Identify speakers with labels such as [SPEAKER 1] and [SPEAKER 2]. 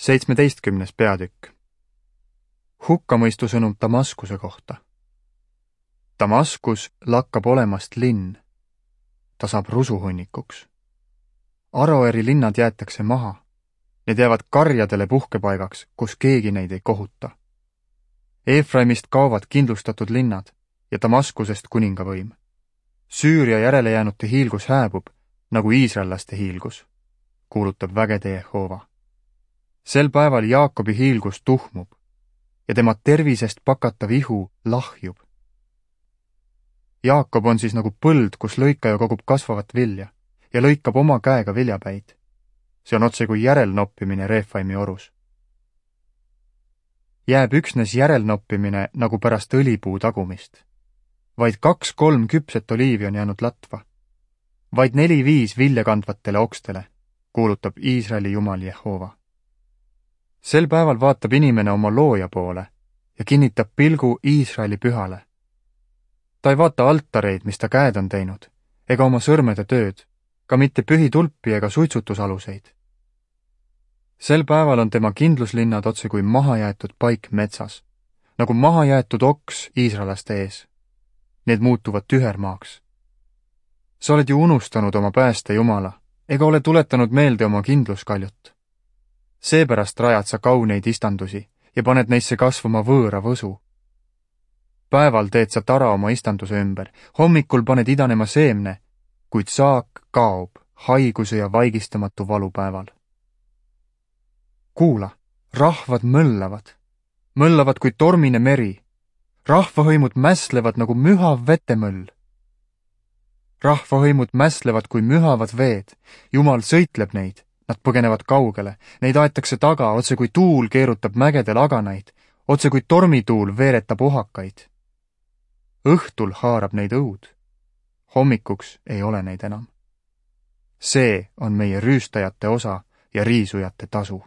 [SPEAKER 1] 17. peatükk. Hukkamõistu sõnum Damaskuse kohta. Damaskus lakkab olemast linn. Ta saab rusuhunnikuks. Aroeri linnad jäetakse maha. Need jäävad karjadele puhkepaigaks, kus keegi neid ei kohuta. Efraimist kaovad kindlustatud linnad ja Damaskusest kuningavõim. Süüria järelejäänute hiilgus hääbub, nagu iisraellaste hiilgus, kuulutab vägede Jehova. Sel päeval Jaakobi hiilgus tuhmub ja tema tervisest pakatav ihu lahjub. Jaakob on siis nagu põld, kus lõikaja kogub kasvavat vilja ja lõikab oma käega viljapäid. See on otse kui järelnoppimine Refaimi orus. Jääb üksnes järelnoppimine nagu pärast õlipuu tagumist. Vaid 2-3 küpset oliivi on jäänud latva. Vaid 4-5 viljakandvatele okstele, kuulutab Iisraeli Jumal Jehova. Sel päeval vaatab inimene oma looja poole ja kinnitab pilgu Iisraeli pühale. Ta ei vaata altareid, mis ta käed on teinud, ega oma sõrmede tööd, ka mitte pühitulpi ega suitsutusaluseid. Sel päeval on tema kindluslinnad otse kui mahajäetud paik metsas, nagu mahajäetud oks iisraelaste ees. Need muutuvad tühermaaks. Sa oled ju unustanud oma pääste Jumala, ega ole tuletanud meelde oma kindluskaljut. Seepärast rajad sa kauneid istandusi ja paned neisse kasvama võõra võsu. Päeval teed sa tara oma istanduse ümber, hommikul paned idanema seemne, kuid saak kaob haiguse ja vaigistamatu valupäeval. Kuula, rahvad mõllavad kui tormine meri, rahvahõimud mäslevad nagu mühav vetemõll. Rahvahõimud mäslevad kui mühavad veed, Jumal sõitleb neid, nad põgenevad kaugele, neid aetakse taga, otse kui tuul keerutab mägede laganaid, otse kui tormituul veeretab ohakaid. Õhtul haarab neid õud, hommikuks ei ole neid enam. See on meie rüüstajate osa ja riisujate tasu.